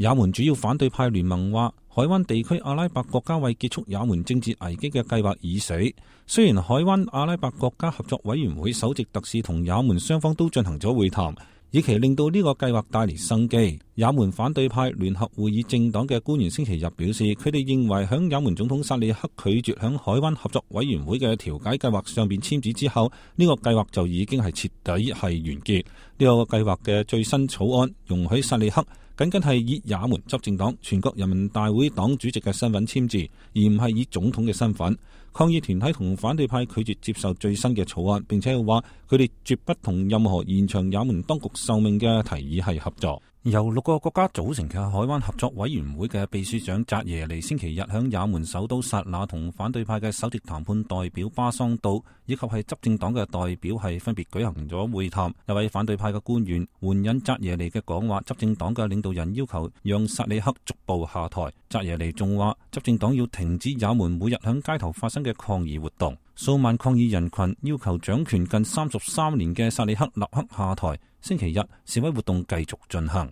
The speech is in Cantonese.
也門主要反對派聯盟話，海灣地區阿拉伯國家為結束也門政治危機嘅計劃已死。雖然海灣阿拉伯國家合作委員會首席特使同也門雙方都進行咗會談，以期令到呢個計劃帶嚟生機。也門反對派聯合會議政黨嘅官員星期日表示，佢哋認為響也門總統薩利克拒絕響海灣合作委員會嘅調解計劃上邊簽字之後，呢個計劃就已經係徹底係完結。呢個計劃嘅最新草案容許薩利克僅僅係以也門執政黨全國人民大會黨主席嘅身份簽字，而唔係以總統嘅身份。抗議團體同反對派拒絕接受最新嘅草案，並且話佢哋絕不同任何延長也門當局壽命嘅提議係合作。由6個國家組成嘅海灣合作委員會嘅秘書長扎耶尼星期日響也門首都薩那同反對派嘅首席談判代表巴桑道以及係執政黨嘅代表係分別舉行咗會談。一位反對派嘅官員援引扎耶尼嘅講話，執政黨嘅領導人要求讓薩里克逐步下台。扎耶尼仲話，執政黨要停止也門每日響街頭發生嘅抗議活動。數萬抗議人群要求掌權近33年嘅薩利克立刻下台。星期日示威活動繼續進行。